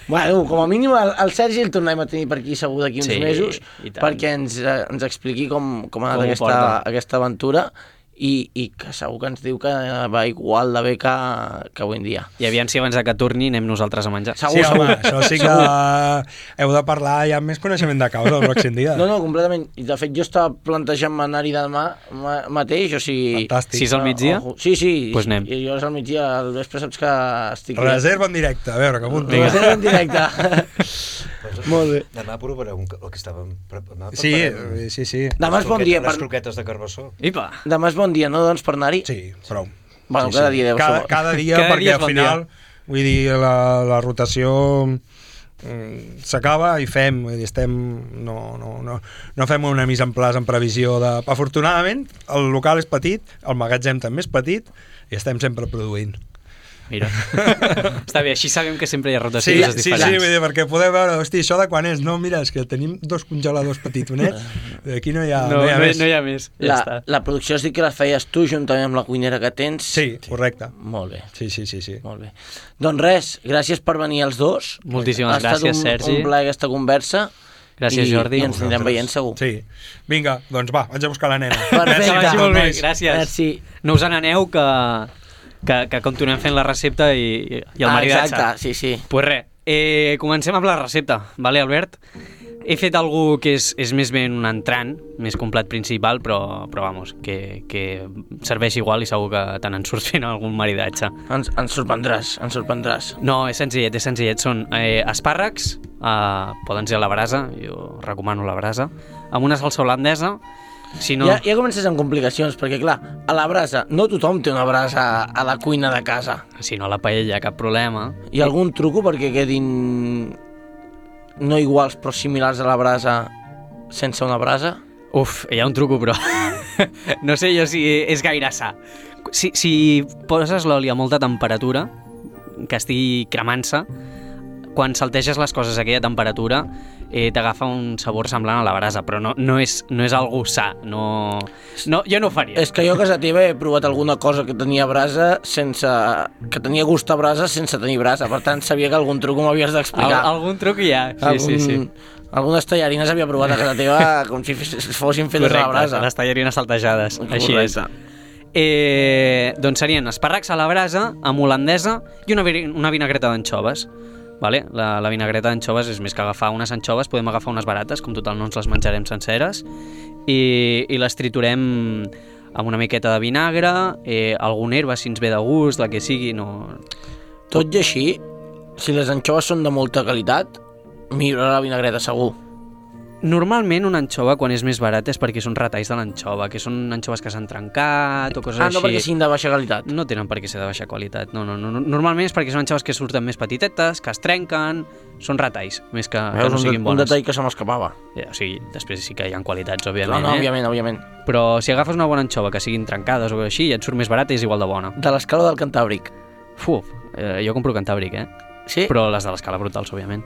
Bueno, com a mínim el Sergi el tornarem a tenir per aquí segur d'aquí uns mesos, perquè ens expliqui com ha anat aquesta aventura, i que segur que ens diu que va igual de bé que avui en dia.
I aviam si abans de que torni anem nosaltres a menjar.
Segur,
Sí, home,
segur.
això sí que heu de parlar ja amb més coneixement de causa el pròxim dia.
No, completament. I de fet jo estava plantejant-me anar-hi demà mateix, o sigui...
Fantàstic.
6 al migdia?
Sí.
Pues anem.
I jo al migdia, al vespre saps que estic...
Reserva en directe, a veure, que apunti.
Reserva en directe. Molt bé.
Demà provareu el que estàvem... Demà
Sí.
Demà és bon dia
Les croquetes de carbassó.
Ipa!
Demà és bon dia, no, doncs, per anar-hi?
Sí, prou.
Bueno, cada dia deu ser...
Cada dia,
Cada
perquè
dia és
al
bon
final, vull dir, la rotació s'acaba i fem, vull dir, estem... No fem una mise en place en previsió de... Afortunadament, el local és petit, el magatzem també és petit i estem sempre produint.
Mira. Està bé, així sabem que sempre hi ha
Sí,
rotacions
sí,
diferents.
vull dir, perquè podeu veure, hosti, això de quan és? No, mira, és que tenim 2 congeladors petitonets, aquí no hi ha més.
No hi ha més. Ja està.
La producció has dit que la feies tu juntament amb la cuinera que tens?
Sí, correcte.
Molt bé.
Sí.
Molt bé. Doncs res, gràcies per venir els dos.
Moltíssimes gràcies, Sergi.
Ha estat un plaer aquesta conversa.
Gràcies, Jordi.
I ens anirem veient segur.
Sí. Vinga, doncs va, vaig a buscar la nena.
Perfecte.
Que vagi molt bé,
Nois.
gràcies.
Merci.
No us n'aneu que continuem fent la recepta i el maridatge.
Exacte, sí.
Pues res, comencem amb la recepta, vale, Albert? He fet algú que és més ben un entrant, més complet principal, però vamos, que serveix igual i segur que te n'en surts fent algun maridatge.
Ens sorprendràs.
No, és senzillet. Són espàrrecs, poden ser a la brasa, jo recomano la brasa, amb una salsa holandesa. Si no...
Ja comences amb complicacions, perquè clar, a la brasa, no tothom té una brasa a la cuina de casa.
Si no, a la paella, cap problema.
Hi ha algun truco perquè quedin no iguals però similars a la brasa sense una brasa?
Uf, hi ha un truco, però no sé jo si és gaire sa. Si poses l'oli a molta temperatura, que estigui cremant-se, quan salteges les coses a aquella temperatura t'agafa un sabor semblant a la brasa, però no és algú sa, no, jo no ho faria.
És que jo a casa teva he provat alguna cosa que tenia brasa que tenia gust a brasa sense tenir brasa, per tant sabia que algun truc m'havies d'explicar.
Algun truc hi ha, sí.
Algunes tallarines havia provat a casa teva com si fossin fetes a la brasa.
Correcte, les tallarines saltejades, així és. Doncs serien espàrrecs a la brasa, amb holandesa i una vinagreta d'anxoves. Vale? La vinagreta d'anxoves és més que agafar unes anxoves, podem agafar unes barates, com total no ens les menjarem senceres, i les triturem amb una miqueta de vinagre, algun herba si ens ve de gust, la que sigui, no...
Tot i així, si les anxoves són de molta qualitat, millora la vinagreta segur.
Normalment una anxova, quan és més barata, és perquè són retalls de l'anxova, que són anxoves que s'han trencat o coses així.
No perquè siguin de baixa qualitat.
No tenen per què ser de baixa qualitat, no. Normalment és perquè són anxoves que surten més petitetes, que es trenquen, són retalls, més que no siguin bones.
Un detall que se m'escapava.
O sigui, després sí que hi ha qualitats, òbviament.
No, òbviament.
Però si agafes una bona anxova que siguin trencades o així, i et surt més barata i és igual de bona.
De l'escala del Cantàbric.
Jo compro Cantàbric,
Sí?
Però les de l'escala brutals, òbviament.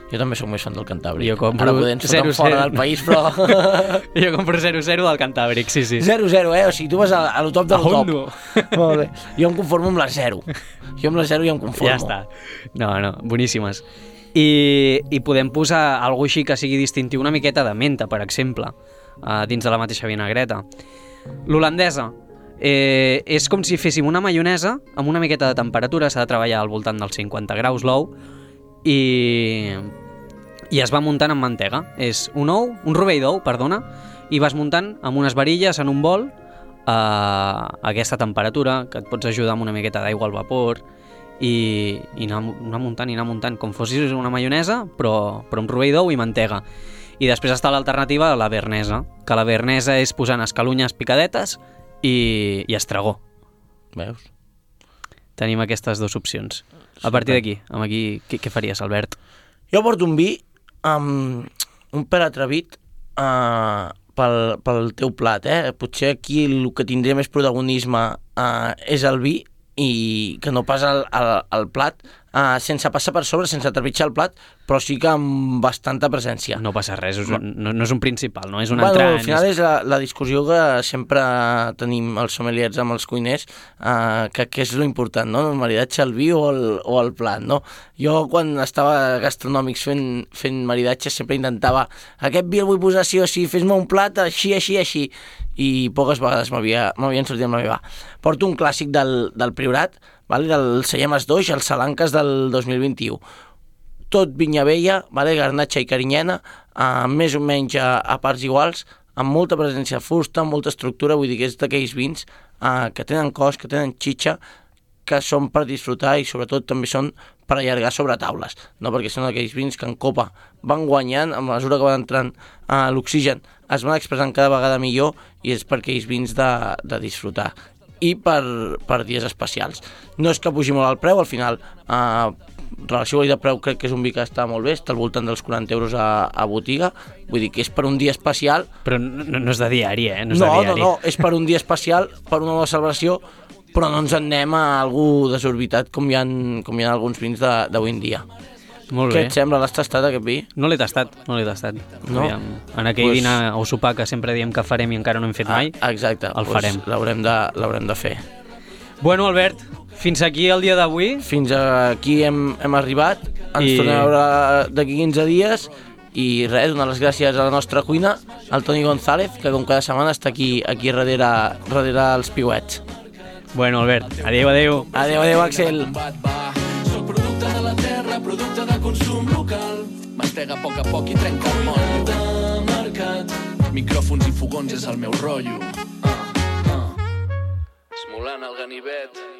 Jo també soc més fan del Cantàbric.
Jo compro
Ara podem fotre fora del país, però...
Jo compro 0-0 del Cantàbric, sí.
0-0, o sigui, tu vas a lo top del top.
Hondo.
Molt bé. Jo em conformo amb la 0. Jo amb la 0 ja em conformo.
Ja està. No, boníssimes. I podem posar alguna així que sigui distintiu, una miqueta de menta, per exemple, dins de la mateixa vinagreta. L'holandesa és com si féssim una maionesa amb una miqueta de temperatura, s'ha de treballar al voltant dels 50 graus l'ou, i es va muntant amb mantega. És un rovell d'ou, i vas muntant amb unes varilles en un bol a aquesta temperatura, que et pots ajudar amb una miqueta d'aigua al vapor i anar muntant com fossis una maionesa, però amb rovell d'ou i mantega. I després està l'alternativa a la bearnesa, que la bearnesa és posant escalunyes picadetes i estragó.
Veus?
Tenim aquestes dues opcions. A partir d'aquí, què faries, Albert?
Jo porto un vi amb un pèl atrevit pel teu plat, Potser aquí el que tindria més protagonisme és el vi i que no pas el plat, sense passar per sobre, sense trepitjar el plat, però sí que amb bastanta presència.
No passa res, no és un principal, no és un entrant.
Al final és la discussió que sempre tenim els sommeliers amb els cuiners, que és lo important, no? El maridatge, el vi o el plat, no? Jo quan estava a Gastronòmics fent maridatge sempre intentava aquest vi el vull posar sí o sí, fes-me un plat així, i poques vegades m'havien sortit amb la meva. Porto un clàssic del Priorat, vale? Del Cellemes d'Oix, el Salanques del 2021. Tot vinya vella, vale? Garnatxa i carinyena, més o menys a parts iguals, amb molta presència de fusta, amb molta estructura, vull dir que és d'aquells vins que tenen cos, que tenen xitxa, que són per disfrutar i sobretot també són per allargar sobre taules, no? Perquè són aquells vins que en copa van guanyant, a mesura que van entrant l'oxigen, es van expressant cada vegada millor i és per aquells vins de disfrutar i per dies especials. No és que pugi molt el preu, al final relació qualitat-preu crec que és un vi que està molt bé, està al voltant dels 40 euros a botiga, vull dir que és per un dia especial.
Però no és de diari, eh?
No, és per un dia especial, per una nova celebració, però no ens en anem a algú desorbitat com hi ha alguns vins d'avui en dia.
Molt bé.
Què et sembla? L'has tastat, aquest vi?
No l'he tastat.
No?
Aviam, en aquell dinar o sopar que sempre diem que farem i encara no hem fet mai,
exacte,
el farem.
L'haurem de fer.
Bueno, Albert, fins aquí el dia d'avui.
Fins aquí hem arribat. Ens tornem a veure d'aquí 15 dies. I res, donar les gràcies a la nostra cuina, al Toni González, que com cada setmana està aquí darrere els piuets.
Bueno, Albert, adéu.
Adéu, Axel.
Soc producte de la terra, producte de consum local. Mastega a poc i trenca el motllo. De mercat, micròfons i fogons és el meu rotllo. Esmolant el ganivet.